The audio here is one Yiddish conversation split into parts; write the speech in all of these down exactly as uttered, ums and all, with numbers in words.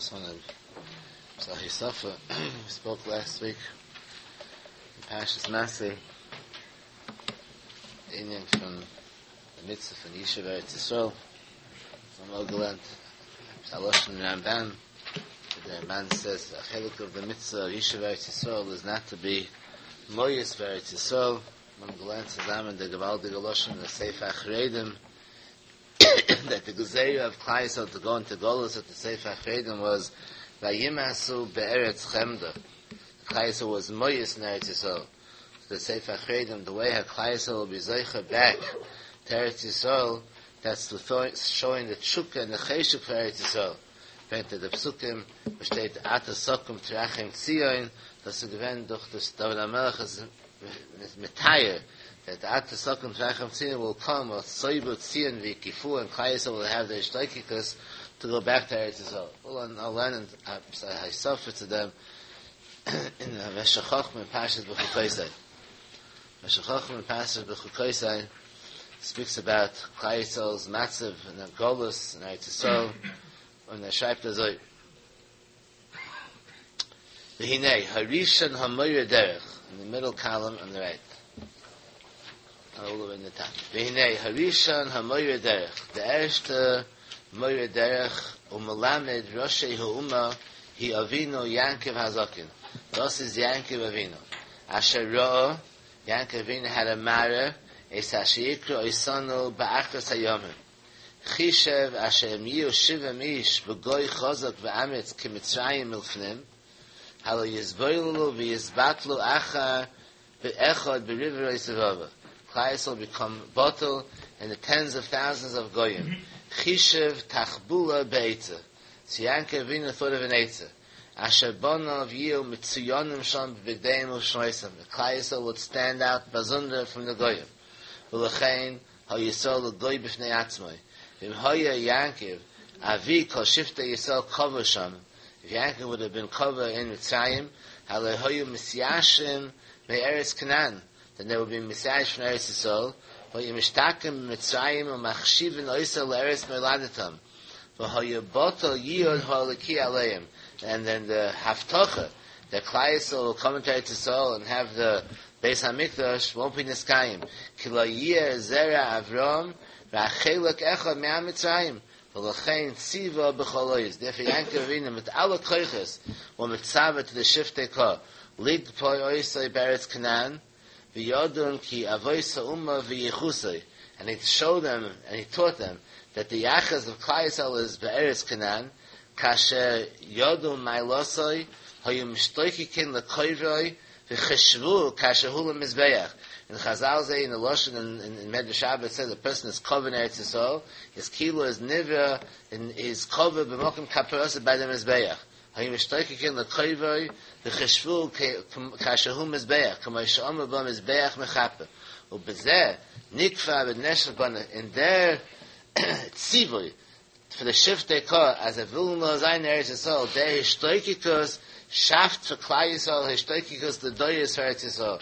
Just want to Sahisafa. We spoke last week in Parshas Masei, the Indian from the mitzvah from Yishuv Eretz Yisrael. Some Ogelant, Salosh and Ramban. The man says the chelik of the mitzvah of Yishuv Eretz Yisrael is not to be Moyes Eretz Yisrael. Man gelernt zusammen der gewaltige Loschen, the Sefer Achredim, that the Gezeira of Klal Yisrael to go into Golos at the Sefer Achredim was Vayimasu Be'eretz Chemda. Klal Yisrael was Moyes in Eretz Yisrael. The Sefer Achredim, the way Klal Yisrael will be Zeicha back to Eretz Yisrael, that's the th- showing the Tshuka and the Cheshuk for Eretz Yisrael. Bent the Psukim, besteht Ata Sokum Trachim Tzion, das ist gewähnt durch das David HaMelech is Metayer, that the Ata Sokum Trachim Tzion will come, will Soibu Tzion v'Kifu, and Klal Yisrael will have the Ishtoikikus to go back to Eretz Yisrael. Well, I'll learn and I suffer to them in the Meshech Chochmah and Parshas B'Chukoisai. Meshech Chochmah and Parshas B'Chukoisai speaks about Klal Yisrael's matzav and the Golus and Eretz Yisrael, und er schreibt also V'hinei, Harishon HaMoyer Derech, in the middle column on the right. All the way in the top. V'hinei, Harishon HaMoyer Derech, the erste Moyer Derech, Umelamed Roshei Ha'uma, Hi Avinu Yankiv Hazakin. Das is Yankiv Avinu. Asher Ro'o, Yankiv Avinu had a mara, Es Hashiyikru Oisanu Ba'achras Hayomim. Chishev asher yiu shivim ish b'goy chazak v'amitz k'mitzrayim milfnim halo yizboilulu v'yizbatlu achar b'echad b'river yisavava. Klal Yisrael become bottle in the tens of thousands of goyim. Chishev tachbula be'etza. So Yankov Avinu thought of an etza. Asher bonav yiu mitzuyonim sham b'bigdeim u'shmoisam. The Klal Yisrael would stand out bazunder from the goyim. V'lechein ha-Yisrael l'goy b'fnei atzmai. V'im hoya Yankiv, avi kol shifta Yisrael kover sham. If Yankiv would have been covered in Mitzrayim, hale hoyu misyashim me'eretz Canaan. Then there would be misyash from Eretz Yisrael. Hoyu mishtakim Mitzrayim u'machshivin oisa le'eretz me'ladatam. V'hoyu botol yiyod ha'oliki aleim. And then the haftocha, the Klal Yisrael will come into Eretz Yisrael and have the Beis HaMikdash, won't be niskayim. Ki lo yeh zera Avram, v'achelek echad me'am Mitzrayim. V'lechein tziva b'choloyis. Therefore Yankov Avinu mit alle koiches were mitzava to the shiftei ka. Lig poi oisai beretz Canaan, v'yodun ki avoisa umma v'yichusai. And he showed them, and he taught them, that the yachas of Klal Yisrael is be'eretz Canaan, kasher yodun ma'ilosai, hayu mishtoikikin lekoivroi, v'cheshvu kasher hula mizbeach. In Chazal say, in the Lashon, in, in, in Medrash Shabbat, it says a person is covered in Eretz Yisrael, his kilo is nivra, and is covered b'mokim kaparasa by the mizbeach. Hayim ishtoikikin l'koivoi, v'cheshvu kasher hu mizbeach, k'mo she'omer bo mizbeach mechaper. U'bezeh, nikva b'neshach bana, in their tzivui, for the shiftei ka, as a vilna zayin Eretz Yisrael, their ishtoikikus, shaft for Klal Yisrael, ishtoikikus the doyes for Eretz Yisrael.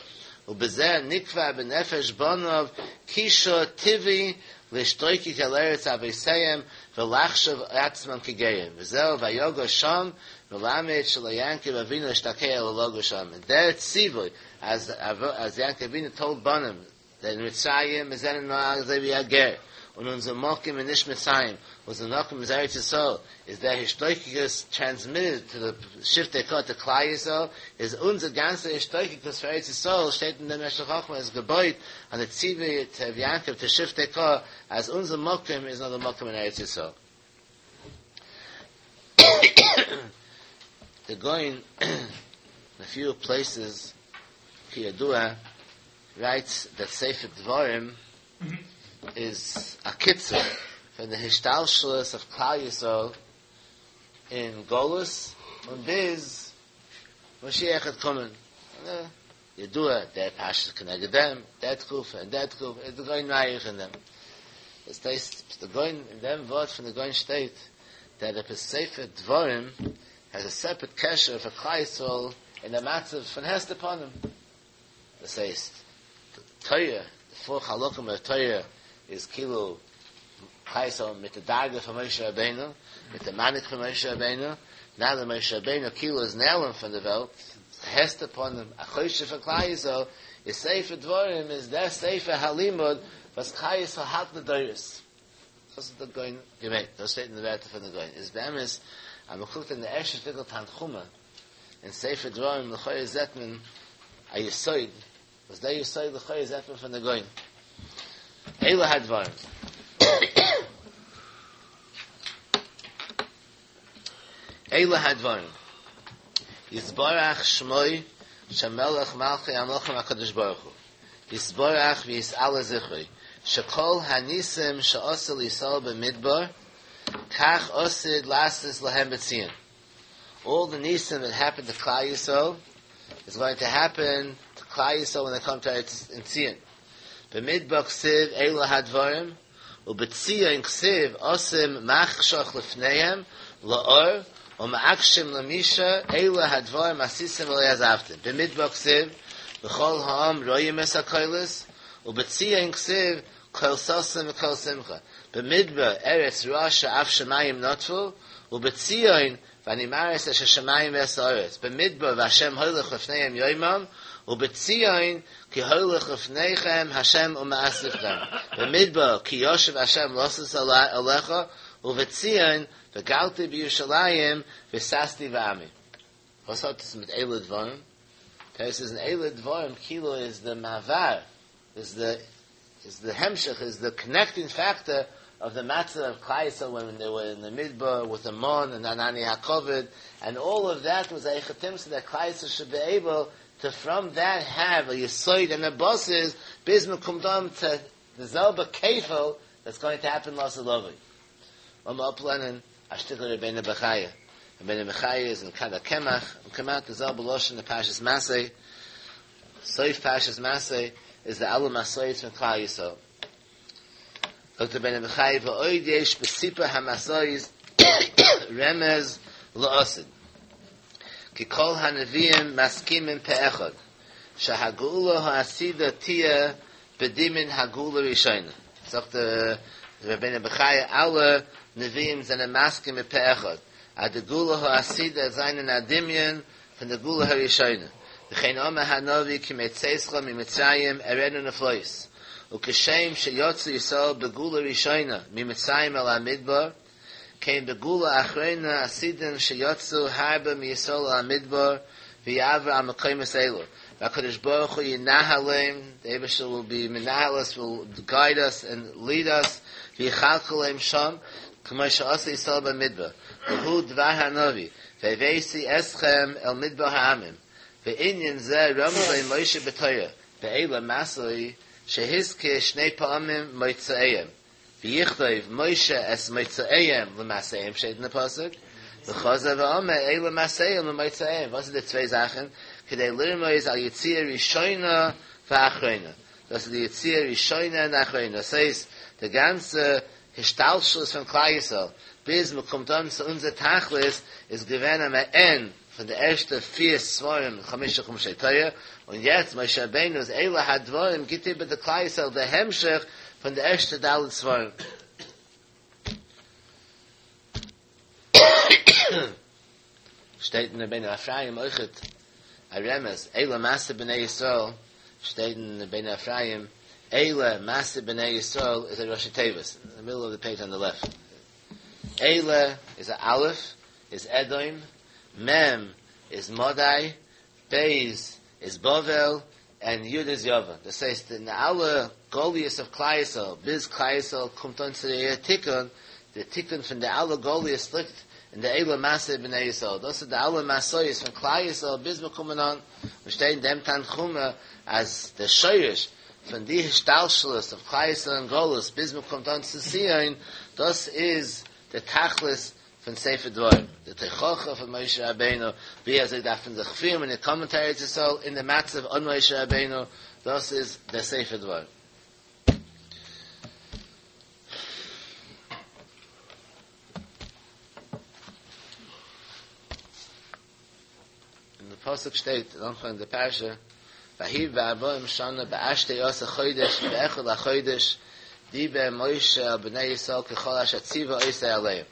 Ubezeh nikva b'nefesh bonov kisho tivi l'shtoiki keleretz aveseyem v'lachshav atzman kegeyim. V'zeh vayogo sham v'lamed shelo Yankiv Avinu shtakei el logo sham. And there tzivui, as as Yankiv Avinu told Bonim that in Mitzrayim is en noag zevi yager. Und unser Mokim in Nish Mitzrayim was the Nokim is Eretz Yisrael, is that Hishtoikikus transmitted to the Shiftei Ka to Klal Yisrael, is unser ganze Hishtoikikus for Eretz Yisrael steht in der Meshech Chochmah as Geboit on the Tzivi to Yankov to Shiftei Ka, as unser Mokim is not the Mokim in Eretz Yisrael. The going in a few places, Kiyadua writes that Sefer Dvorim is a kitzer from the Hishtalshalos of Klal Yisrael in Golus und biz Moshiach had kommen. Yedua, der Pashas connected them, that Tkufa and that Tkufa, the going Rayich in them. It's the going in them word from the going state that if a Sefer Dvorim has a separate kesher for Klal Yisrael in the matzav from Hester upon him. It says, the Torah, the four chalokim of Torah is kilo Klal Yisrael mit the Darga from Moshe Rabbeinu, mit the Manik from Moshe Rabbeinu, Now that Moshe Rabbeinu Kilo is nailing from the Welt, Hester upon a Choshe for Klal Yisrael, is Sefer Dvorim, is der Sefer Halimud, was Klal Yisrael hat the. Das ist der Goin gemeint. Das steht in der Werte von der Goin. Is be'emes, am guckt in der erste Stückel Tanchuma, in Sefer Dvorim, l'choye zetmen, a Yisoid, was der Yisoid l'choye zetmen von der Goin. Eile hadvarim. Eile hadvarim. Yisbarach shmoi, shemelech malchi amlochem HaKadosh Baruch Hu. Yisbarach v'yis'ala zichroi. Shekol hanisim she'osel Yisrael b'midbar, kach osid lasis lahem b'tzion. All the nisim that happened to Klal Yisrael is going to happen to Klal Yisrael when they come to Eretz in Tzion. B'midbar ksiv eila hadvarim, u'b'tzion ksiv osim machshach lefneihem la'or, u'ma'akshim lamisha eila hadvarim asisim v'le'azavtim. B'midbar ksiv v'chol ha'am royim es ha'koilis, u'b'tzion ksiv kol sasim v'kol simcha. B'midbar eretz rasha af shemayim notfu, u'b'tzion v'animares es hashemayim v'es ha'aretz. B'midbar v'Hashem hoylech lefneihem yoimam, u'b'tzion ki hoylech lefneichem Hashem u'ma'asifchem. B'midbar ki yoshev Hashem losas alecha, u'b'tzion v'galti b'Yerushalayim v'sasti v'ami. Was hat das mit Eile Dvarim? This is an Eile Dvarim, kilo is the mavar, is the is the hemshech, is the connecting factor of the matzah of Klal Yisrael when they were in the midbar with the mon and Anani HaKovid, and all of that was a echatim so that Klal Yisrael should be able to from that have a yisoid and a bosses bisma kumdam to the zelba kefil that's going to happen lasalovi. Lama uplenen ashtikler Rebbeinu Bechaya. Rebbeinu Bechaya is in Kada Kemach and come out the zelba loshen the Pashas Masei. Soif Pashas Masei is the Alu Masoyis from Klal Yisrael. Doctor Ben Bechaya v'oid yesh b'sipa hamasoyis remez la'osid. Ki kol hanaviyim maskimim pe'echad. Shahagula ha'asida tia b'dimin hagula rishayna. Sagt der Rebbeinu Bechaya, alle Nevi'im sind maskim pe'echad. Ad gula ha'asida seinen adimion von der gula ha'rishayna. V'chein omer hanavi ki metzeischa miMitzrayim erenu neflois. Ukeshem sheyotzu Yisrael begula rishayna miMitzrayim el hamidbar, came begula achrena asidin sheyotzu harba miYisrael el hamidbar v'yavra al mekoyim elu. HaKadosh Baruch Hu yinahalem, the Eibishter will be menahalis, will guide us and lead us, v'yichalkalem sham, k'mo she'asa Yisrael b'midbar. V'hu dvar hanavi, v'evesi eschem el midbar ha'amim. Ve'inyan zeh ramzei Moshe b'Torah, ve'ela masoi, shehizke shnei pa'amim moitzaeyem. V'yichtayv Moshe es moitzaeyem l'maseim, steht in the pasuk. V'chaza v'ameh eila maseim l'moitzaeyem. Was sind die zwei Sachen? Kedei lirmois al yitzia rishoyna v'achroina. Das ist die Yitzia rishoyna und achroina. Das heißt, der ganze Gestaltschluss von Klal Yisrael, bis man kommt an zu unser Tachlis, ist gewähnt am Ende von der ersten vier Svarim, Chamisha Chumshei Torah, und jetzt Moshe Rabbeinu ist Eila HaDvarim, gibt über der Klal Yisrael der Hemshech von der ersten Dalet Svarim. Steht in der Bein Ephraim Oichet, a Remes, Eila Masa B'nai Yisrael, steht in der Bein Ephraim, Eila Masa B'nai Yisrael is a Rosh Tevis, in the middle of the page on the left. Eila is a Aleph, is Edom, Mem is Modai, Beis is Bovel, and Yud is Yovan. Das heißt, in alle Goliaths of Klal Yisrael, bis Klal Yisrael kommt on zu der Tikkun, der Tikkun von der alle Goliaths liegt in der Eila Masse B'nai Yisrael. Das sind die alle Masoyis von Klal Yisrael, bis wir kommen an, wir stehen dem Tanchuma als der Scheurisch von die Gestaltschluss of Klal Yisrael und Golus, bis wir kommt an zu Zion, das ist der Tachlis von Sefer Dvorim. Der Techocha von Moshe Rabbeinu, wie er sich da von sich führen, in der Kommentare zu soll, in der Matzav on Moshe Rabbeinu, das ist der Sefer Dvorim. In the Pasuk steht, in Anfang der Parasha, Vahiv v'arboim shana ba'ashtei osa chodesh, be'echad ha'chodesh, diber Moshe al b'nei Yisrael kechol asher tziva oisei aleim.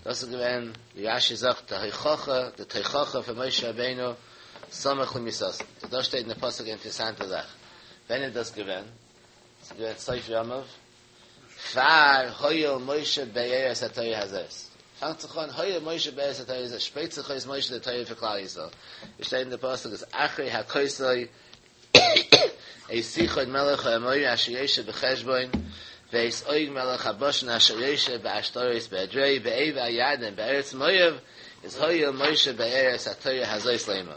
דאס איז געווען, ווי רש"י זאגט, די הוכחה, די תוכחה פון משה רבינו סמוך למיתתו. דא שטייט אין די פסוק א אינטערעסאנטע זאך. ווען איז דאס געווען? ס'איז געווען סוף ימיו, פאר הואיל משה באר את התורה הזאת. פאנגט זיך אן הואיל משה באר את התורה הזאת, שפרייט זיך אויס משה די תורה פאר כלל ישראל. עס שטייט אין די פסוק אז אחרי הכותו את סיחון מלך האמורי אשר יושב בחשבון ואת עוג מלך הבשן אשר יושב בעשתרות באדרעי בעבר הירדן בארץ מואב איז הואיל משה באר את התורה הזאת לאמור.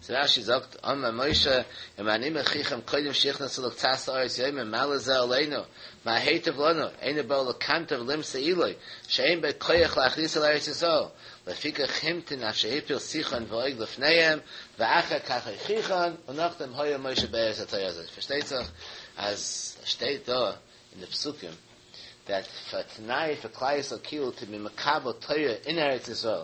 סאו רש"י זאגט אמר משה אם אני מוכיחם קודם שנכנסו לקצת הארץ יאמר מה לזה עלינו מה היטיב לנו אינו בא לקנטר ולמסור עילוי שאין בו כח להכניס אל ארץ ישראל לפיכך המתין עד שהפיל סיחון ועוג לפניהם ואחר כך הוכיחן און נאכדעם הואיל משה באר את התורה הזאת. פארשטייט זיך אז שטייט דא אין די פסוקים that פאר תנאי פאר כלל ישראל כאילו to be מקבל תורה אין ארץ ישראל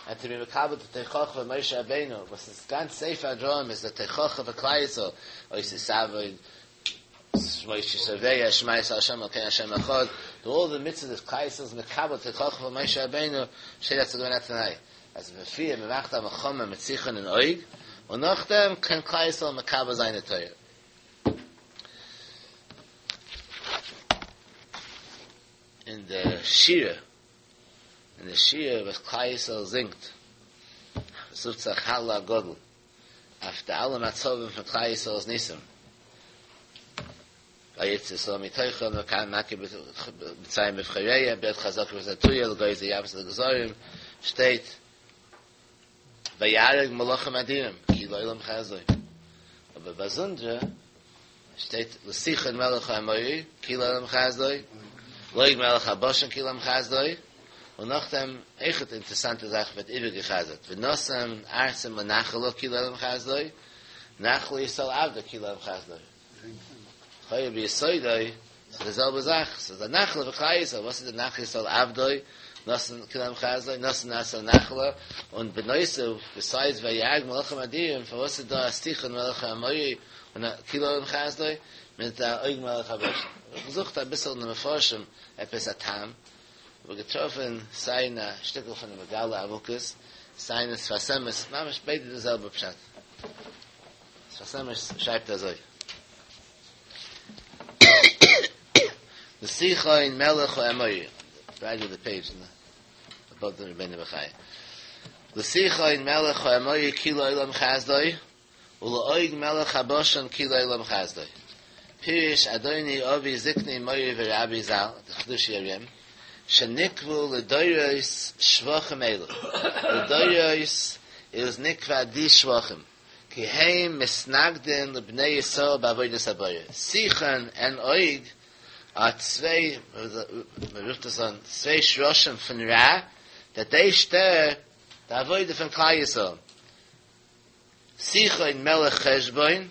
and to be מקבל די תוכחה פון משה רבינו וואס איז גאנץ ספר דברים איז די תוכחה פאר כלל ישראל אוי ס'איז שמות כי תביא שמע ישראל השם אלקינו השם אחד די אלל די מצוות וואס כלל ישראל איז מקבל תוכחה פון משה רבינו שטייט אז ס'איז געווען א תנאי אז בעפאר מ'מאכט א מלחמה מיט סיחון און עוג און נאכדעם קען כלל ישראל מקבל זיין די תורה. אין די שירה אין די שירה וואס כלל ישראל זינגט וואס רופט זיך הלל הגדול אויף די אלע מצבים פון כלל ישראל'ס ניסים, ויצא ישראל מתוכם ומכה מצרים בבכוריהם ביד חזקה וביד נטויה לגוזר יבשות לגזרים, שטייט ויהרג מלכים אדירים כי לעולם חסדו, אבער באזונדער שטייט לסיחון מלך האמורי כי לעולם חסדו, לעוג מלך הבשן כי לעולם חסדו, און נאכדעם אויכעט אינטערעסאנטע זאך ווערט איבערגעחזרט ונתן ארצם לנחלה כי לעולם חסדו, נחלה ישראל עבדו כי לעולם חסדו. לכאורה ביסודו ס'איז די זעלבע זאך, ס'איז א נחלה פאר כלל ישראל, וואס איז די נחלה ישראל עבדו, נתן כי לעולם חסדו, נתן ארצם לנחלה, און בנוסף, ביסיידס ויהרג מלכים אדירים, פארוואס איז דא א סיחון מלך האמורי און א כי לעולם חסדו, מיט א עוג מלך הבשן? איך האב געזוכט אביסל אין די מפרשים עפעס א טעם, האב איך געטראפן סיי אין א שטיקל פון די מגלה עמוקות, סיי אין שפת אמת, ממש ביידע די זעלבע פשט. שפת אמת שרייבט אזוי. לסיחון מלך האמורי, רייט אוו די פעידזש, אבאוו די רבינו בחיי. לסיחון מלך האמורי כי לעולם חסדו, ולעוג מלך הבשן כי לעולם חסדו. פירש אדוני אבי זקני מורי ורבי ז"ל, די חידושי הרי"ם, שנקבעו לדורות שבחים אלו. לדורות איז נקבע די שבחים. כי הם מתנגדין לבני ישראל בעבודת הבורא. סיחון און עוג אר צוויי, מען רופט עס אן, צוויי שרשים פון רע, דעט דעי שטער די עבודה פון כלל ישראל. סיחון מלך חשבון,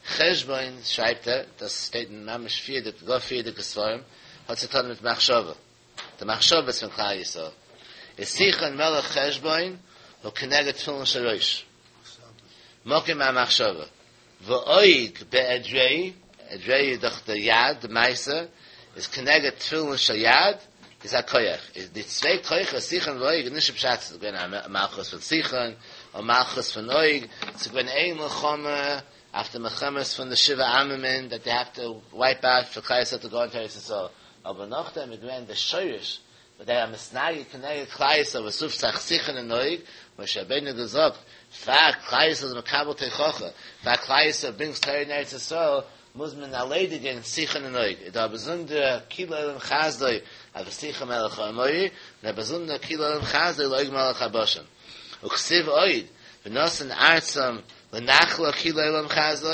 חשבון שרייבט ער, דאס שטייט אין ממש פריערדיגע, גאר פריערדיגע ספרים, האט צו טון מיט מחשבה, די מחשבות פון כלל ישראל, איז סיחון מלך חשבון הוא כנגד תפילין של ראש, מקום המחשבה, ועוג באדרעי, אדרעי איז דאך די יד, די מעשה, איז כנגד תפילין של יד, איז א כח, איז די צוויי כוחות סיחון ועוג איז נישט פשט ס'איז געווען א מלכות פון סיחון און מלכות פון עוג, ס'איז געווען איין מלחמה אויף די מלחמות פון די שבעה עממים דעט דעי העוו טו ווייפ אוט פאר כלל ישראל טו גאו אינטו ארץ ישראל, אבער נאכדעם איז געווען די שורש וואס דער מתנגד כנגד כלל ישראל וואס רופט זיך סיחון און עוג, משה רבינו האט געזאגט, פאר כלל ישראל איז מקבל תוכחה, פאר כלל ישראל ברינגס תורה אין ארץ ישראל, מוז מען ערלעדיגען סיחון און עוג, איז דא א באזונדערע כי לעולם חסדו אויף סיחון מלך האמורי, און א באזונדערע כי לעולם חסדו לעוג מלך הבשן. וכתיב עוד, ונתן ארצם לנחלה כי לעולם חסדו,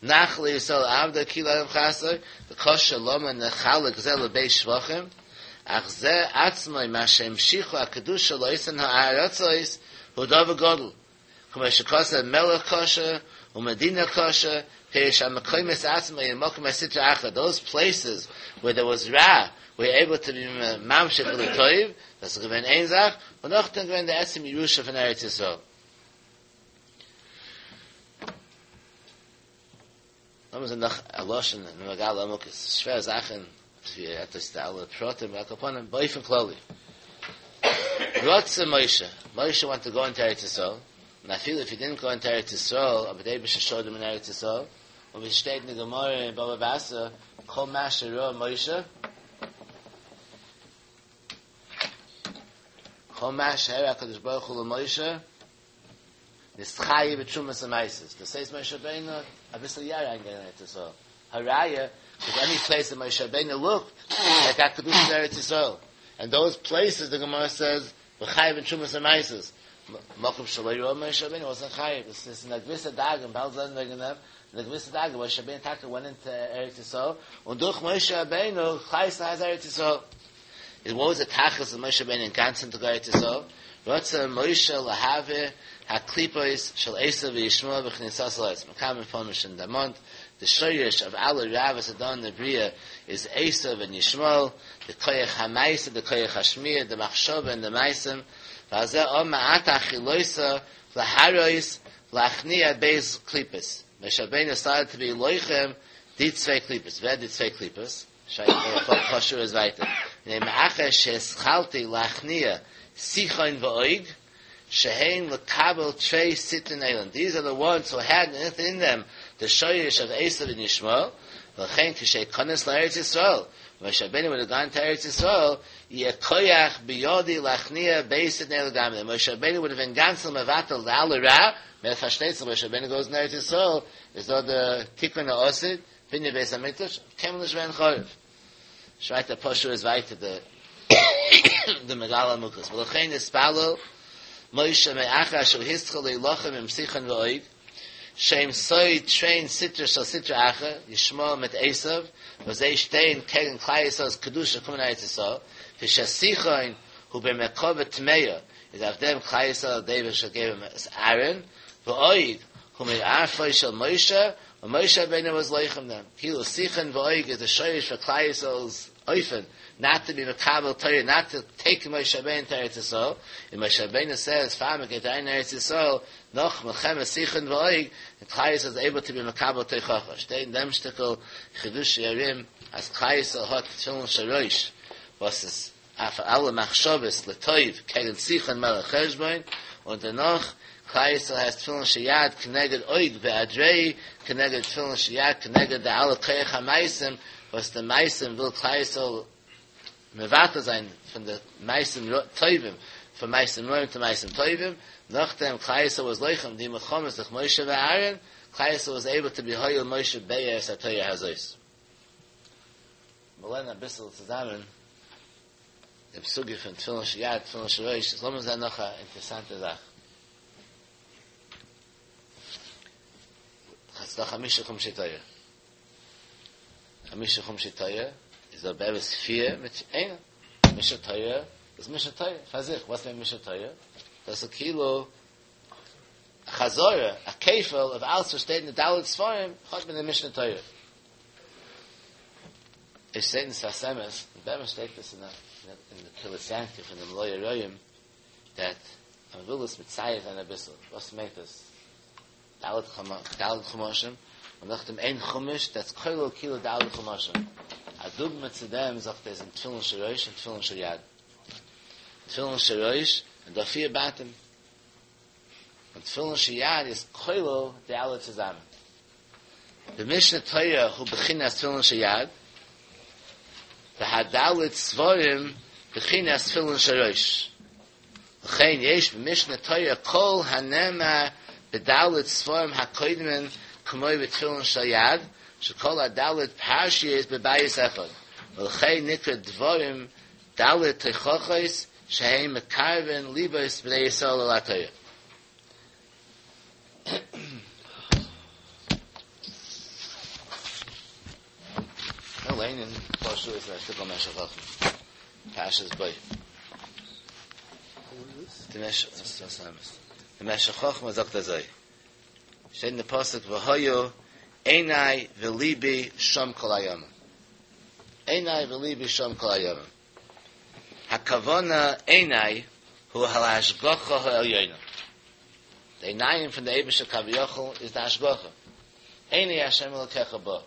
נחלה ישראל עבדו כי לעולם חסדו, וקשה למה נחלק זה לב' שבחים, אך זה עצמו מה שהמשיכו הקדושה לאותן הארצות הוא דבר גדול, כמו שכתוב מלך קשה ומדינה קשה, פירוש המקומות עצמם הם מקום הסטרא אחרא, those places where there was רע were able to be ממשיך לטוב, דאס איז געווען איין זאך, און נאכדעם געווען די עצם ירושה פון ארץ ישראל. לאמיר זען נאך א לשון אין מגלה עמוקות, שווער זאכן, ווי ער רעדט אויס די אלע פרטים, על כל פנים באופן כללי. רצה Moshe. Moshe wanted to go into Eretz Yisrael. And I feel if he didn't go into Eretz Yisrael, aber der Eibischter showed him in Eretz Yisrael. Und wie steht in der Gemara in Baba Basra, Kol Masher Ro Moshe, Kol Masher HaKadosh Baruch Hu Moshe, Nischayi b'trumas ha'maisis. Das says Moshe Rabbeinu, a bissel yara in Eretz Yisrael. Haraya, because any place that Moshe Rabbeinu looked, that got Kedusha in Eretz Yisrael. And those places, the Gemara says, v'chayiv b'trumas ha'maisis. Mokum shaloi ro Moshe Rabbeinu wasn't chayiv. This is in a gewisse Dag, in Baal Zon wegen dem, in a gewisse Dag, Moshe Rabbeinu Taka went into Eretz Yisrael, und durch Moshe Rabbeinu, Chayis has Eretz Yisrael. It was a tachlis of Moshe Rabbeinu in ganzen to Eretz Yisrael. Rotza Moshe lahave haklipos shel Esav v'Yishmael v'chnisas la'etz. Makam information in Damont. The shoyrish of alle Ravas Adon the Bria is Esav and Yishmael, the koyach ha'maisa, the koyach ha'shmir, the machshava and the maisim. V'azeh om ma'ata chiloisa laharois lachnia beis klipos. Moshe Rabbeinu started to be loichem di tzvei klipos. Wer di tzvei klipos? Shayach is weiter. Ne'ma'acha she'eschalti lachnia Sichon v'oig, shehein lekabel trei sitin eiland. These are the ones who had in them the shoyish of Esav and Yishmael. V'chein k'shei kones la'eretz Yisrael. Moshe Rabbeinu would have gone to Eretz Yisrael, yekoyach biyodi lachnia beisit ne'el gamle. Moshe Rabbeinu would have been ganzel mevatel la'al ra, mer versteht Moshe Rabbeinu goes in Eretz Yisrael, is dort the Tikkun ha'osid, Binyan Beis HaMikdash, kem l'shven chorev. Schreit der Poshu is weiter, the the Megala Mukas. V'lochein ispalo Moshe me'acha asher hischel leilochem im sichon v'oig shem soy train sitra shal sitra acha Yishmael mit Esav v'zei shtein kegen Klai Yisrael's kedusha kumen Eretz Yisrael v'shasichon hu b'mekov tmeya is av dem Klai Yisrael David shall gave him as Aaron v'oig hu me'arfoi shel Moshe and Moshe Rabbeinu was loichem them. Kilo sichon v'oig is the shoyish for Klai Yisrael's oifen, not to be mekabel Torah, not to take Moshe Rabbeinu to Eretz Yisrael. And Moshe Rabbeinu says, "Fam get ein Eretz Yisrael, noch melchem sichon v'oig," and Klai Yisrael is able to be mekabel Teichacha. Steht in dem Shtickl Chidush Yarim, as Klai Yisrael hat Tefillin Sharosh, was es af alle Machshavos letoiv kegen Sichon melech Cheshbon, und danach Klai Yisrael has Tefillin Sheyad keneged oig ve'adrei, keneged Tefillin Sheyad, keneged the alle Koyach HaMaisim, was the Maisim will Klai Yisrael mevatel sein von der Maisim Toivim, von Maisim Roim to Maisim Toivim, nachdem Klai Yisrael was loichem, die Mechomes, durch Moshe ve'Aaron, Klai Yisrael was able to be hoyel Moshe be'er satoyer hazois. Wir lernen ein bisschen zusammen, dem Sugi von Tefillin Sheyad, Tefillin Sharosh, es lassen wir noch eine interessante Sache. Das ist doch Chamisha Chumshei Torah. Chamisha Chumshei Torah ist der Beres vier mit einer. Misha Torah ist Misha Torah. Versich, was meint Misha Torah? Das ist ein Kilo a Chazorah, a Kefel of alles, was steht in der Dalit Sforim, hat man in der Mishnah Torah. Es steht in Sfasemes, in Beres steht das in der, in der Kilisyanke von dem Loya Royim, that man will es mit Zayit ein bisschen. Was meint das? Dalit Chumashim, und nach dem ein Chumash, that's Koilo Kilo Dalit Chumashim. A Dugma zu dem, sagt er, sind Tefillin Sharosh und Tefillin Shayad. Tefillin Sharosh, und da vier Batim. Und Tefillin Shayad ist Koilo, die alle zusammen. The Mishnah Torah, who bechinas Tefillin Shayad, the Hadalit Svarim, bechinas Tefillin Sharosh. L'chein yesh b'Mishnah Torah, kol hanema bedalit Svarim hakoidmen, k'moi b'tefillin shayad, shekol hadalit parshiyos b'bayis echad. V'lechein nikra dvorim dalit teichochos sheheim mekarven libos b'nei Yisrael al ha'Torah. No leinen parshu is a shtickle Meshech Chochma. Parshas Boi. The Meshech Chochma sagt er so. Steht in der Pasuk, V'hoyo einai v'libi shom kol hayom. Einai v'libi shom kol hayom. Hakavona einai hu halashgocha ha'elyono. The einayim from the Eibusha Kaviyachol is the hashgocha. Einai Hashem elokecha bo.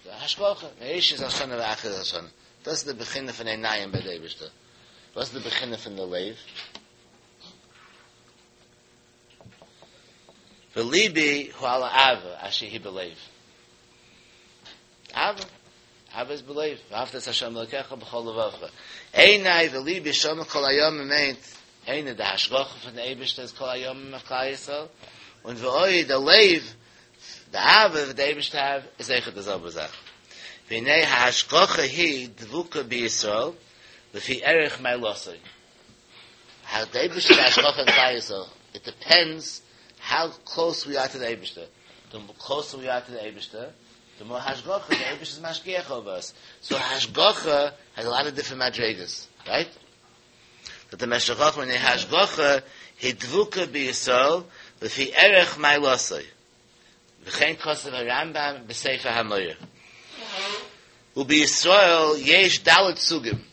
The hashgocha. Meish is Hashana v'achir Hashana. Das ist the beginne von einayim bei der Eibusha. Was ist the beginne von der Lev? וליבי הוא על האהבה אשר היא בלב. אהבה, אהבה איז בלב, ואהבת את השם אלוקיך בכל לבבך. עיני וליבי שמה כל הימים מיינט, עיני די השגחה פון די אייבערשטער איז כל הימים אויף כלל ישראל, און ואוי די לב, די אהבה וואס די אייבערשטער האט איז אויכעט די זעלבע זאך. והנה ההשגחה היא דבוקה בישראל לפי ערך מעלתו. האו די אייבערשטער די השגחה אין כלל ישראל, איט דיפענדס האו קלאוס ווי אר טו די אייבערשטער, די קלאוסער ווי אר טו די אייבערשטער, די מאר השגחה, די אייבערשטער איז משגיח אויף אס, סאו השגחה העז א לאט אוו דיפרענט מדריגות, רייט? זאגט דער משך חכמה והנה ההשגחה היא דבוקה בישראל לפי ערך מעלתו, וכן כתב הרמב"ם בספר המורה. ובישראל יש ד' סוגים,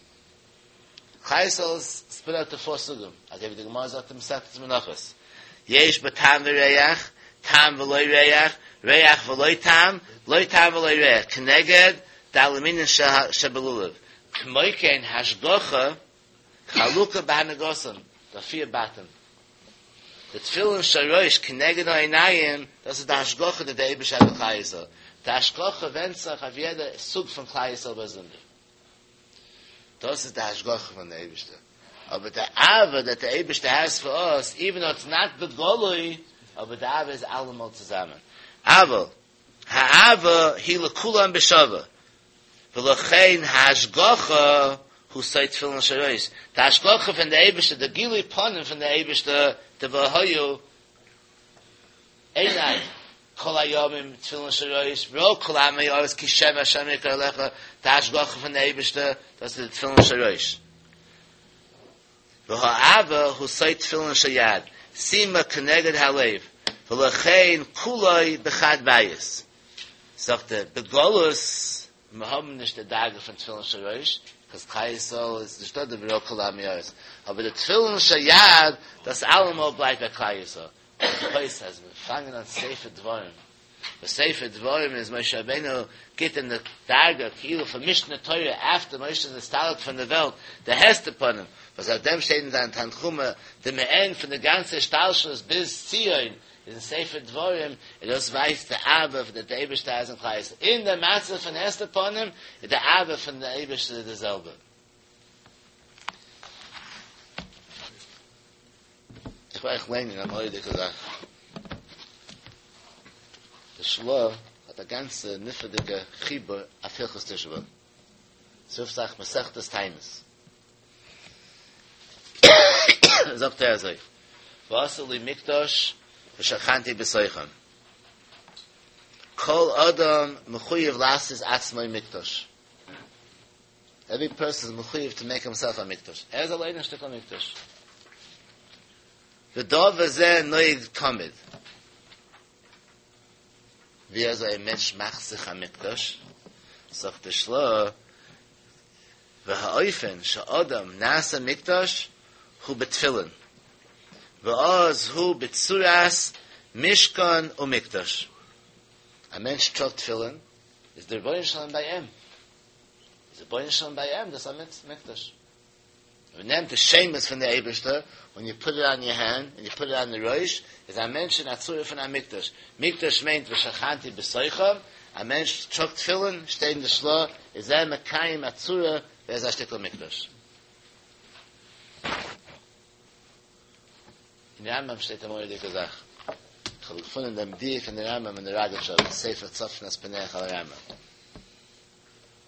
כלל ישראל איז ספליט אוט טו פאר סוגים, אזוי ווי די גמרא זאגט אין מסכת מנחות, יש בו טעם וריח, טעם ולא ריח, ריח ולא טעם, לא טעם ולא ריח, כנגד ד' מינים שבלולב, כמו כן השגחה חלוקה בהנהגתם, די פיר בתים, די תפילין של ראש כנגד העיניים, דאס איז די השגחה די די אייבערשטער האט אויף כלל ישראל, די השגחה ווענדט זיך אויף יעדע סוג פון כלל ישראל באזונדער. דאס איז די השגחה פון די אייבערשטער, אבער די אהבה דעט די אייבערשטער העז פאר אס, איווען דאו איטס נאט בגלוי, אבער די אהבה איז אלעמאל צוזאמען, אבל האהבה היא לכולם בשווה, ולכן ההשגחה הוא סוד תפילין של ראש, די השגחה פון די אייבערשטער, די גילוי פנים פון די אייבערשטער, די והיה עיני כל הימים תפילין של ראש, וראו כל עמי הארץ כי שם השם יקרא עליך, די השגחה פון די אייבערשטער, דאס איז די תפילין של ראש. והאהבה הוא סוד תפילין של יד, שימה כנגד הלב, ולכן כולו בחד בית. זאגט ער, בגלות, מיר האבן נישט די דרגה פון תפילין של ראש, קאז כלל ישראל איז נישטא די וראו כל עמי הארץ, אבער די תפילין של יד, דאס אלעמאל בלייבט ביי כלל ישראל. הייסט אז מיר פאנגען אן ספר דברים, וואס ספר דברים איז משה רבינו גיט אין די דרגה כאילו פון משנה תורה אפטער משה איז נסתלק פון די וועלט, די הסתר פנים, וואס אויף דעם שטייט אין זיין תנחומא די מעין פון די גאנצע השתלשלות ביז ציון איז אין ספר דברים, און דאס ווייזט די אהבה פון די אייבערשטער איז אין כלל ישראל, אין די מצב פון הסתר פנים איז די אהבה פון די אייבערשטער די זעלבע. איך וויל אייך ליינען א מורא'דיגע זאך. די של"ה האט א גאנצע נפלא'דיגע חיבור אויף הלכות תשעה באב. ס'רופט זיך מסכת תענית. זאגט ער אזוי, ועשו לי מקדש ושכנתי בתוכם. כל אדם מחויב לעשות עצמו מקדש. עווערי פערסאן איז מחויב טו מעיק הימסעלף א מקדש, ער איז אליין א שטיקל מקדש. ודבר זה נוהג תמיד. ווי אזוי א מענטש מאכט זיך א מקדש, זאגט די של"ה, והאופן שאדם נעשה מקדש הוא בתפילין, ואז הוא בצורת משכן ומקדש. א מענטש טראגט תפילין, איז דער רבונו של עולם ביי אים. איז רבונו של עולם ביי אים, דאס איז א מקדש. מען נעמט די שמות פון די אייבערשטער און יו פוט איט אן יור הענד און יו פוט איט אן די ראש, איז א מענטש אין א צורה פון א מקדש. מקדש מיינט ושכנתי בתוכם, א מענטש טראגט תפילין, שטייט אין די של"ה, איז ער מקיים א צורה ווי ער איז א שטיקל מקדש. אין רמב"ם שטייט א מורא'דיגע זאך. איך האב געפונען דעם דיוק אין די רמב"ם אין די ראגאטשאווער ספר צפנת פענח על הרמב"ם.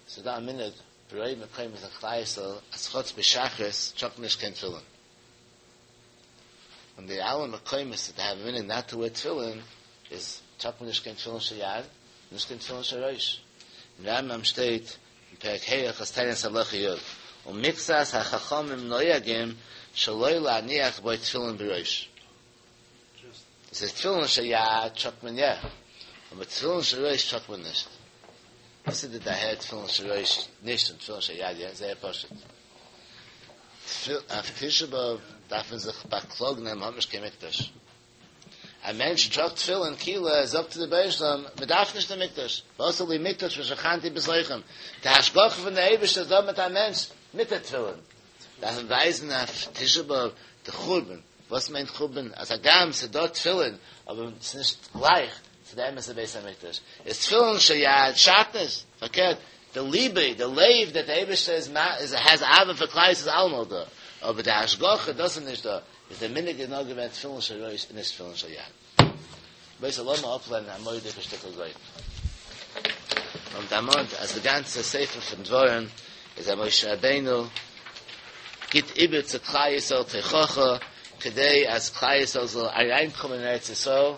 ס'איז דא א מנהג ברוב מקומות אין כלל ישראל אז חוץ בשחרית טראגט מען נישט קיין תפילין. און די אלע מקומות דעט העוו א מנהג נאט טו ווער תפילין איז טראגט מען נישט קיין תפילין של יד נישט קיין תפילין של ראש. אין רמב"ם שטייט אין פרק ה' הלכות תענית הלכה י' ומקצת החכמים נוהגים שלא להניח בו תפילין בראש. עס איז תפילין של יד טראגט מען יא, אבער תפילין של ראש טראגט מען נישט. וואס איז די דערהער תפילין של ראש נישט און תפילין של יד יא? זייער פשוט. אויף תשעה באב דארף מען זיך באקלאגן אז מען האט נישט קיין מקדש. א מענטש טראגט תפילין כאילו ער זאגט צו די רבונו של עולם מען דארף נישט די מקדש, ועשו לי מקדש ושכנתי בתוכם. די השגחה פון די אייבערשטער איז דא מיט א מענטש מיט די תפילין. דארף מען ווייזן אויף תשעה באב די חורבן. וואס מיינט חורבן? אז הגם ס'איז דא תפילין, אבער ס'איז נישט גלייך צו די אמת'ע בית המקדש. איז תפילין של יד שאדט נישט, פארקערט, די ליבע, די לב דעט די אייבערשטער איז איז העז אהבה פאר כלל ישראל איז אלעמאל דא, אבער די השגחה דאס איז נישט דא, איז די מנהג איז נאר געווען תפילין של ראש און נישט תפילין של יד. רבותי לאמיר אפלערנען א מורא'דיגע שטיקל גאון. מ'האט דערמאנט אז די גאנצע ספר פון דברים איז אז משה רבינו גיט איבער צו כלל ישראל תוכחה כדי אז כלל ישראל זאל אריינקומען אין ארץ ישראל,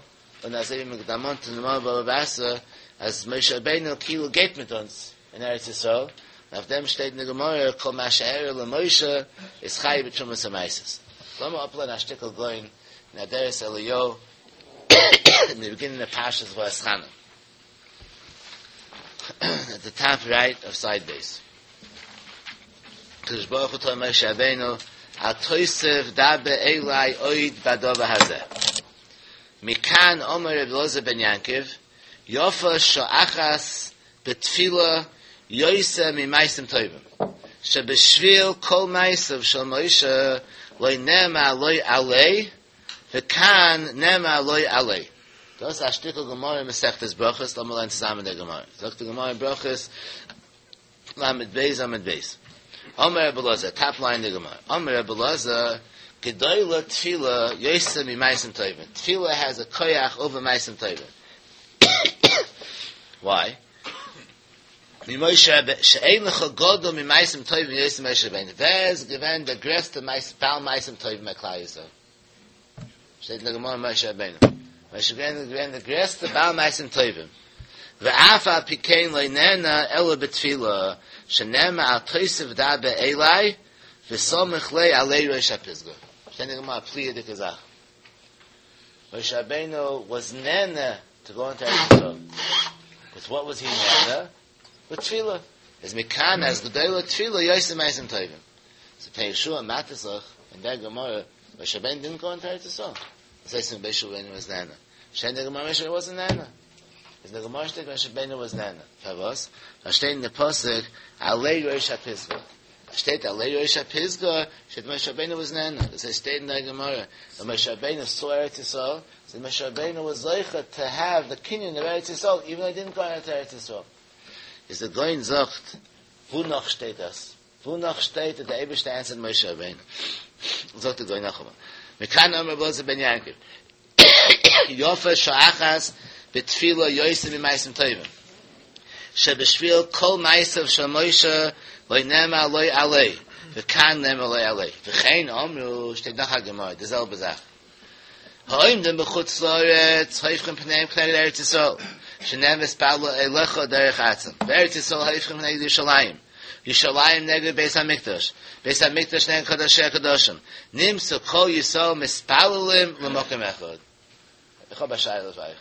און אזוי ווי מ'האט דערמאנט אין גמרא בבא בתרא אז משה רבינו כאילו גייט מיט אונז אין ארץ ישראל, און אויף דעם שטייט אין די גמרא כל מה שאירע למשה איז חייב בתרומות ומעשרות. לאמיר אפלערנען א שטיקל גאון אין אדרת אליהו אין די ביגינינג אוו פרשת ואתחנן עט די טאפ רייט אוו סייד בית הקדוש ברוך הוא טאלד משה רבינו אל תוסיף דבר אלי עוד בדבר הזה מכאן אמר רבי אלעזר בן יעקב יפה שעה אחת בתפילה יותר ממעשים טובים שבשביל כל מעשיו של משה לא נאמר לא עלה וכאן נאמר לא עלה. דאס איז א שטיקל גמרא אין מסכת ברכות, לאמיר לערנען צוזאמען די גמרא. זאגט די גמרא אין ברכות ל"ב עמוד ב', אמר רבי אלעזר, טאפ ליין די גמרא, אמר רבי אלעזר, גדולה תפילה יותר ממעשים טובים, תפילה העז א כח אווער מעשים טובים. וויי? ממשה רבינו, שאין לך גדול ממעשים טובים יותר ממשה רבינו, ווער איז געווען דער גרעסטער בעל מעשים טובים ביי כלל ישראל? שטייט אין די גמרא משה רבינו. משה רבינו איז געווען דער גרעסטער בעל מעשים טובים. ואף על פי כן לא נענה אלא בתפילה, שנאמר אל תוסיף דבר אלי וסמיך ליה עלי ראש הפסגה. שטייט אין די גמרא א פליאה'דיגע זאך. משה רבינו וואס נענה טו גאו אינטו ארץ ישראל. וויט וואט וואס הי נענה? וויט תפילה. איז מכאן אז גדולה תפילה יותר ממעשים טובים. סאו פני יהושע מאטערט זיך אין דער גמרא, משה רבינו דינט גאו אינטו ארץ ישראל. וואס הייסט משה רבינו וואס נענה? שטייט אין דער גמרא משה רבינו וואזנט נענה. איז אין דער גמרא שטייט משה רבינו וואס נענה. פארוואס? ווייל שטייט אין די פסוק עלי ראש הפסגה. שטייט עלי ראש הפסגה, שטייט משה רבינו וואס נענה, דאס הייסט שטייט אין די גמרא, ווען משה רבינו סא ארץ ישראל, סאו משה רבינו וואס זוכה טו העוו די קנין אוו ארץ ישראל, איווען דאו הי דידנט גאו אינטו ארץ ישראל. איז די גאון זאגט, וואו נאך שטייט דאס? וואו נאך שטייט אז די אייבערשטער ענסערט משה רבינו? זאגט די גאון נאכאמאל, מכאן אמר רבי אלעזר בן יעקב, יפה שעה אחת בתפילה יותר ממעשים טובים. שבשביל כל מעשיו של משה לא נאמר לא עלה, וכאן נאמר לא עלה. וכן אמרו, שטייט נאך א גמרא, די זעלבע זאך. העומדים בחוץ לארץ הופכים פניהם כנגד ארץ ישראל, שנאמר והתפללו אליך דרך ארצם. בארץ ישראל הופכים כנגד ירושלים, ירושלים נגד בית המקדש, בית המקדש נגד קדשי הקדשים, נמצאו כל ישראל מתפללים למקום אחד. איך האב א שאלה פאר אייך.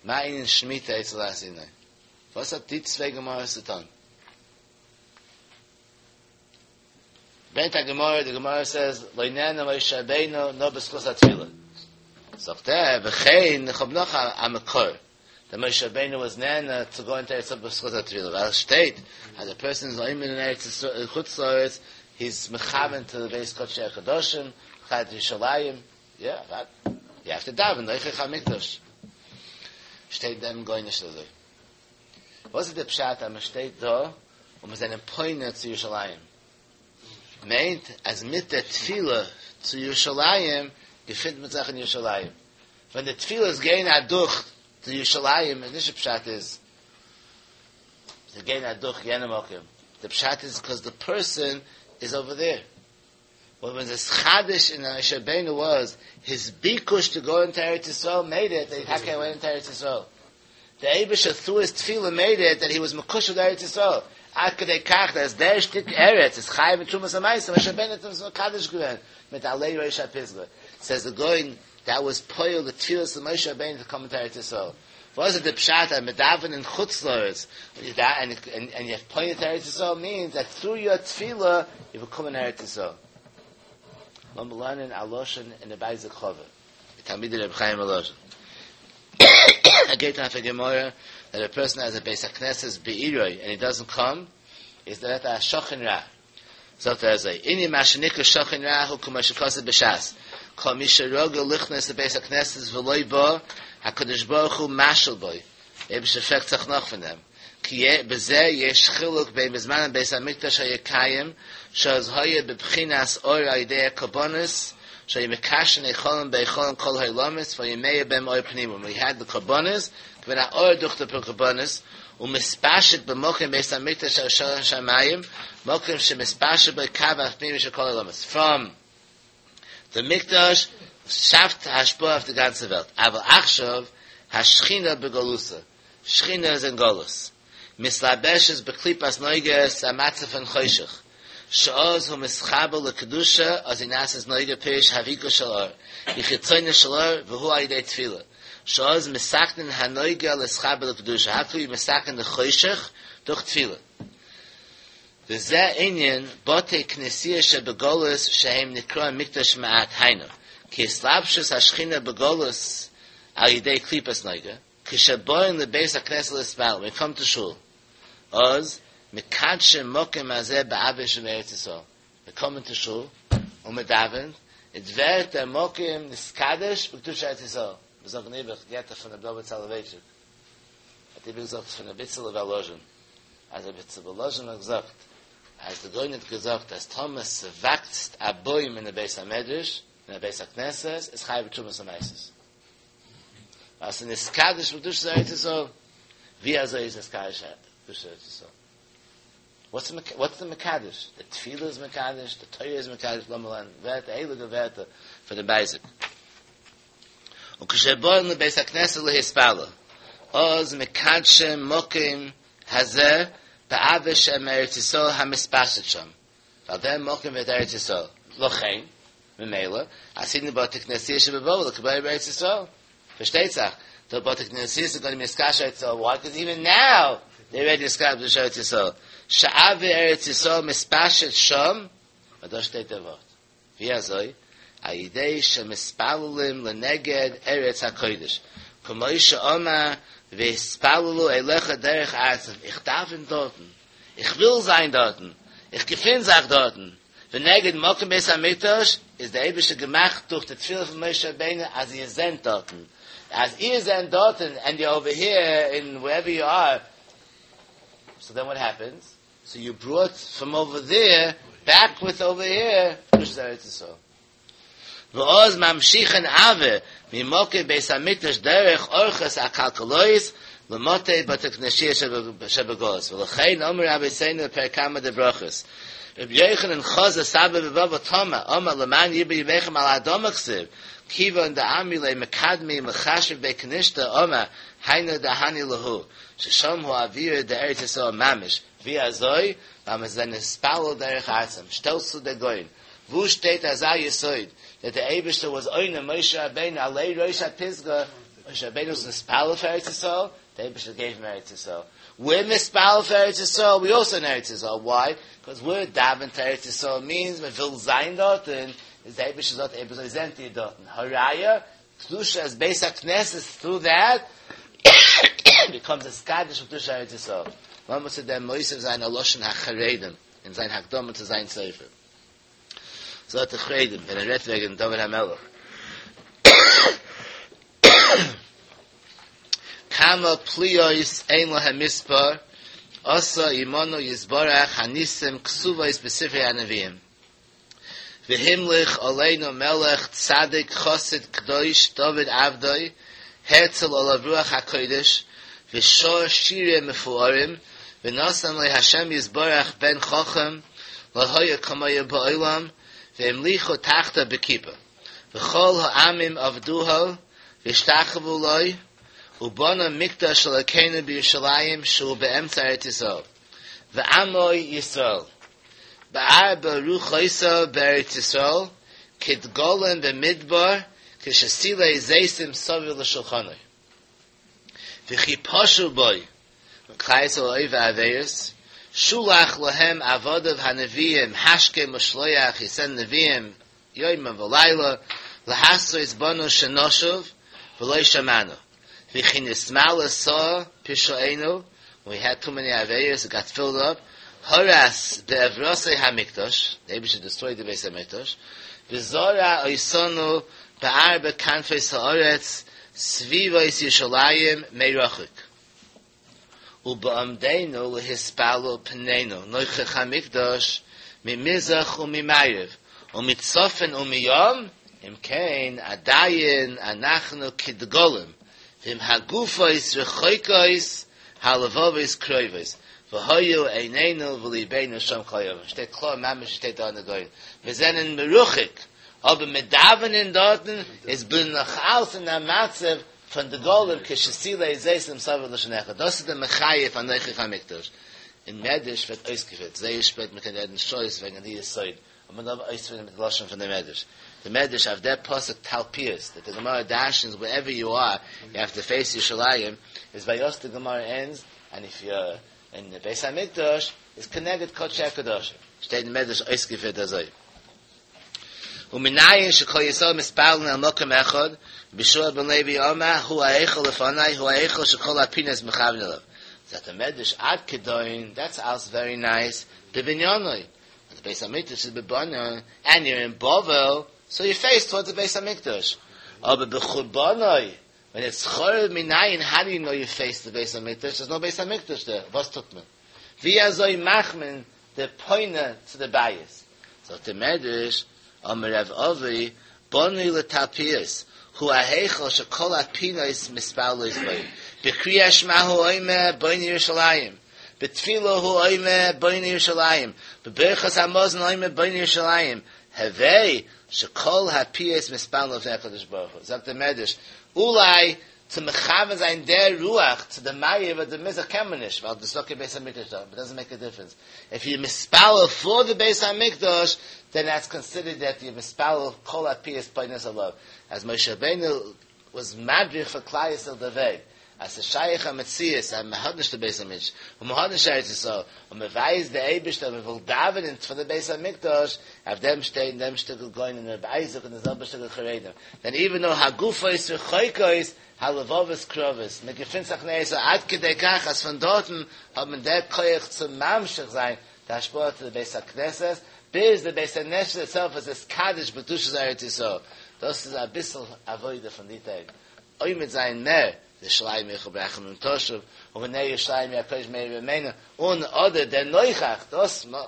מה ענין שמיטה אצל הר סיני? וואס האט די צוויי גמרות צו טון? ברענגט א גמרא, די גמרא סעז לא נענה משה רבינו נאר בזכות התפילה. זאגט ער, וכן, איך האב נאך א מקור, דעט משה רבינו וואס נענה צו גאו אינטו ארץ ישראל בזכות התפילה, ווייל עס שטייט אז א פערסאן איז עומד אין ארץ ישראל, אין חוץ לארץ, הי איז מכוון טו די בית קדשי הקדשים, כנגד ירושלים, יא, וואט? יו העוו טו דאווען נוכח המקדש. שטייט דעם גאון נישט אזוי. וואס איז די פשט אז מען שטייט דא און מיר זענען פונה צו ירושלים? מיינט אז מיט דער תפילה צו ירושלים געפינט מען זיך אין ירושלים. ווען די תפילות גייען אדורך צו ירושלים איז נישט די פשט איז זיי גייען אדורך יענע מקום, די פשט איז קאז די פערסאן איז אווער דעיר. וואט וואס נתחדש אין משה רבינו וואס היז ביקוש טו גאו אינטו ארץ ישראל מעיד איט דעט הי טאקע ווענט אינטו ארץ ישראל. די אייבישטער טרו היז תפילה מעיד איט דעט הי וואס מקושר לארץ ישראל עד כדי כך אז דער שטיק ארץ איז חייב אין תרומת ומעשר משה רבינו האט עס מקדש געווען מיט עלי ראש הפסגה סעז די גאון דעט וואס פועל די תפילות פון משה רבינו טו קאם אינטו ארץ ישראל וואס איז די פשט אז מען דאווענט אין חוץ לארץ און יו פוינט טו ארץ ישראל מינס דעט טרו יור תפילה יו באקום אין ארץ ישראל. לאמיר לערנען א לשון אין די בית יעקב, תלמידי רבי חיים וואלאזשין. ער גייט אויף א גמרא דעט א פערסאן העז א בית הכנסת בעירו און הי דאזענט קאם איז דעט א שכן רע. זאגט ער אזוי, ענין מה שנקרא שכן רע הוא כמו שכתוב בש"ס, כל מי שרגיל ליכנס לבית הכנסת ולא בא, הקדוש ברוך הוא משאיל בו. אייבערשטער פרעגט זיך נאך פון דעם. כי בזה יש חילוק בין בזמן בית המקדש היה קיים, שאז היה בבחינת אור על ידי הקרבנות, שהיו מקשרין היכלים בהיכלים כל העולמות, והיה מאיר בהם אור פנימי. We had the קרבנות, געווען א אור דורך די קרבנות, ומתפשט במקום בית המקדש של שמים, מקום שמתפשט בו קו הפנימי של כל העולמות. From the מקדש שאפט השפעה אויף די גאנצע וועלט. אבל עכשיו, השכינה בגלותא. שכינה איז אין גלות. מתלבשת בקליפת נוגה, א מצב פון חושך. שאז הוא מתחבר לקדושה, אז היא נעשית נוגה פירוש הביקוש של אור. היא חיצוניות של אור, והוא על ידי תפילה. שאז מתקנין הנוגה להתחבר לקדושה. How can we מתקן the חושך? דורך תפילה. וזה עניין בתי כנסיה שבגלות שהם נקרא מקדש מעט היינו. כי התלבשות השכינה בגלות על ידי קליפת נוגה, כשבאים לבית הכנסת להתפלל, we come to shul, אז מקדשים מקום הזה באוויר שבארץ ישראל. We come into shul, און מען דאווענט, עס ווערט דער מקום נתקדש בקדושת ארץ ישראל. מיר זאגן איבער, געהערט פון ר' דוד סאלאווייטשיק. האט איבער געזאגט פון ר' איצעלע וואלאזשין. אז ר' איצעלע וואלאזשין האט געזאגט, אז דער גאון האט געזאגט, אז טאמער ס'וואקסט א בוים אין א בית המדרש, אין א בית הכנסת, איז חייב בתרומות ומעשרות. ווייל ס'איז נתקדש בקדושת ארץ ישראל. ווי אזוי איז נתקדש בקדושת ארץ ישראל? What's the, what's the מקדש? The תפילה איז מקדש, the תורה איז מקדש, לאמיר לערנען, ווערטער, הייליגע ווערטער פון דעם בייזיק. וכשבאים לבית הכנסת להתפלל, אז מקדשים מקום הזה באוויר שמארץ ישראל המתפשט שם. ווייל דער מקום ווערט ארץ ישראל. לכן, ממילא, עתידין בתי כנסיות שבבבל לקבלהו בארץ ישראל. פארשטייט זיך, the בתי כנסיות are going to be נתקדש ארץ ישראל. Why? Because even now, they already נתקדש ארץ ישראל. שאוויר ארץ ישראל מתפשט שם, און דא שטייט דער ווארט. ווי אזוי? על ידי שמתפללים לנגד ארץ הקודש. כמו שאמר והתפללו אליך דרך ארצם. איך דאווען דארטן. איך וויל זיין דארטן. איך געפין זיך דארטן. ונגד מקום בית המקדש איז דער אייבערשטער געמאכט דורך די תפילה פון משה רבינו אז איר זענט דארטן. אז איר זענט דארטן and you're over here in wherever you are. So then what happens? So you brought from over there back with over here קדושת ארץ ישראל. ואז ממשיכין אוויר ממקום בית המקדש דרך אורחות עקלקלות למטה בתי כנסיות שבגלות. ולכן אמרו רבותינו בפרק קמא דברכות. רבי יוחנן חזה סבא בבבל תמה אמר למען ירבו ימיכם על האדמה כתיב כיוון דאמרי ליה מקדמי ומחשבי בי כנישתא אמר היינו דהני להו ששם הוא אווירא דארץ ישראל ממש ווי אזוי ווייל מיר זענען מתפלל דרך ארצם שטעלסט צו דער גאון וואו שטייט אזא יסוד that דער אייבערשטער was עונה משה רבינו עלי ראש הפסגה משה רבינו was מתפלל פאר ארץ ישראל דער אייבערשטער gave him ארץ ישראל we're מתפלל פאר ארץ ישראל we also in ארץ ישראל why because we're daven to ארץ ישראל means מען וויל זיין דארט און איז דער אייבערשטער זאגט אויב אזוי זענט איר דארט הראיה קדושת בית הכנסת through that becomes a נתקדש קדושת ארץ ישראל לאמיר צו דעם מוסיף זיין א לשון החרדים אין זיין הקדמה צו זיין ספר זאגט דער חרדים ווען ער רעדט וועגן דוד המלך כמה פליאות אין להם מספר עשה עמנו יתברך הניסים כתובות בספרי הנביאים והמליך עלינו מלך צדיק חסיד קדוש דוד עבדו האציל עליו רוח הקודש ושר שירים מפוארים ונתן לו השם יתברך בן חכם לא היה כמוהו בעולם והמליכו תחתיו בכיפה וכל העמים עבדוהו והשתחוו לו ובנה מקדש אלוקינו בירושלים שהוא באמצע ארץ ישראל ועמו ישראל בארבע רוחותיו בארץ ישראל כדגלים במדבר כשתילי זיתים סביב לשולחנו וכי פשעו בו כלל ישראל עובר עבירות שלח להם עבדיו הנביאים השכם ושלוח he sent נביאים יומם ולילה להתרות בנו שנשוב ולא שמענו וכי נתמלא סאה פשעינו we had too many עבירות it got filled up הרס בעברתו המקדש the אייבערשטער destroyed the בית המקדש וזרע אותנו בארבע כנפות הארץ סביבות ירושלים מרחוק. ובעמדנו להתפלל פנינו נוכח המקדש ממזרח וממערב ומצפון ומים, אם כן עדיין אנחנו כדגלים, ואם הגופות רחוקות הלבבות קרובות, והיו עינינו ולבנו שם כל היום. שטייט קלאר ממש שטייט דא אין די גאון. מיר זענען מרוחק, אבער מיר דאווענען דארטן איז בין נאך אלס אין א מצב פון דגלים כשתילי זיתים סביב לשולחנך. דאס איז די מחיה פאר נוכח המקדש. אין מדרש ווערט אויסגעפירט זייער שפעט, מען קען רעדן שעות וועגן די יסוד, אבער מען דארף אויספירן מיט די לשון פון די מדרש. די מדרש אויף דער פסוק תלפיות, דעט די גמרא דרשנס ווערעווער יו אר, יו העוו טו פעיס ירושלים, איז ביי אס די גמרא ענדס, ענד איף יו אר אין די בית המקדש איז כנגד קדשי הקדשים. שטייט אין מדרש אויסגעפירט אזוי. ומנין שכל ישראל מתפללין אל מקום אחד, רבי יהושע בן לוי אמר הוא ההיכל לפני הוא ההיכל שכל הפינות מכוון אליו. זאגט דער מדרש עד כדין, דעטס אלס ווערי נייס, בבניינו, אז די בית המקדש איז בבנין, ענד יור אין בבל, סאו יו פעיס טאווארדס די בית המקדש, אבער בחורבנו, ווען איטס חרוב מנין האו דו יו נאו יו פעיס די בית המקדש, דערס נאו בית המקדש דער, וואס טוט מען? ווי אזוי מאכט מען די פונה צו די בית? זאגט די מדרש, אמר רב אבהו, בנוי לתלפיות, הוא ההיכל שכל הפינות מתפללות בו, בקריאת שמע הוא אומר בונה ירושלים, בתפילה הוא אומר בונה ירושלים, בברכת המזון הוא אומר בונה ירושלים, הווי שכל הפיות מתפללות לפני הקדוש ברוך הוא. זאגט דער מדרש, אולי צו מכוון זיין דער רוח צו די מערב אדער מזרח קען מען נישט, ווייל דאס איז קיין בית המקדש דא, איט דאזענט מעיק א דיפרענס. איף יו מתפלל פאר די בית המקדש, דען דעטס קאנסידערט דעט יו מתפלל כל הפיות פונות אליו, אז משה רבינו וואס מדריך פאר כלל ישראל די וועג, אז ס'איז שייך א מציאות אז מ'האט נישט די בית המקדש, און מ'האט נישט ארץ ישראל, און מ'ווייזט די אייבערשטער אז מ'וויל דאווענען פאר די בית המקדש, אויף דעם שטייט אין דעם שטיקל גאון און רבי אייזיק און די זעלבע שטיקל חרדים, דען איווען דאו הגופות רחוקות הלבבות קרובות, מ'געפינט זיך אין ארץ ישראל עד כדי כך אז פון דארטן האט מען דער כח צו ממשיך זיין די השפעה צו די בית הכנסת, ביז די בית הכנסת איטסעלף איז נתקדש בקדושת ארץ ישראל, דאס איז אביסל עבודה פון די טעג, עומד זיין מער, לירושלים עירך ברחמים תשוב, ובונה ירושלים עיר הקודש במהרה בימינו, און אדער דער נוכח, דאס מען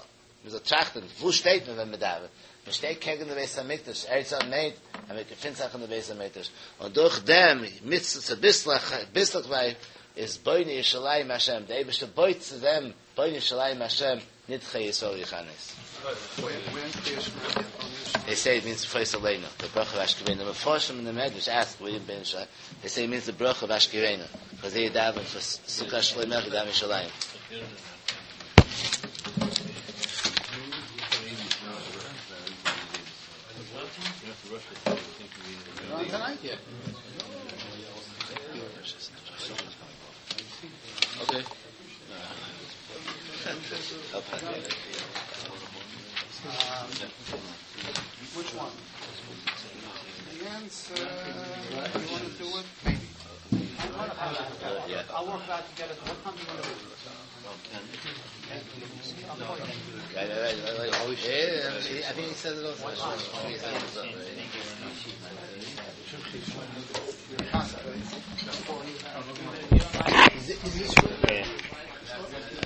זאל טראכטן, וואו שטייט מען ווען מען דאווענט? מען שטייט קעגן די בית המקדש, ארץ ישראל מיינט אז מען געפינט זיך אין די בית המקדש, און דורך דעם מצוה צוביסלעך, ביסלעכווייז, איז בונה ירושלים השם, דער אייבערשטער בויט צו דעם בונה ירושלים השם נדחי ישראל יכנס. They say it means פרוס עלינו, the ברכה of השכיבנו. The מפרשים in the מדרש ask, where בונה ירושלים? They say it means the ברכה of השכיבנו, because they daven for סוכת שלומך daven ירושלים. Okay. Um, which one? The answer, you want to do it? Maybe. Yeah. I'll work it out together. What time do you want to do it? Right, right, right, right. Yeah, I think he says it also. He says it also. Is, it, is this Yeah.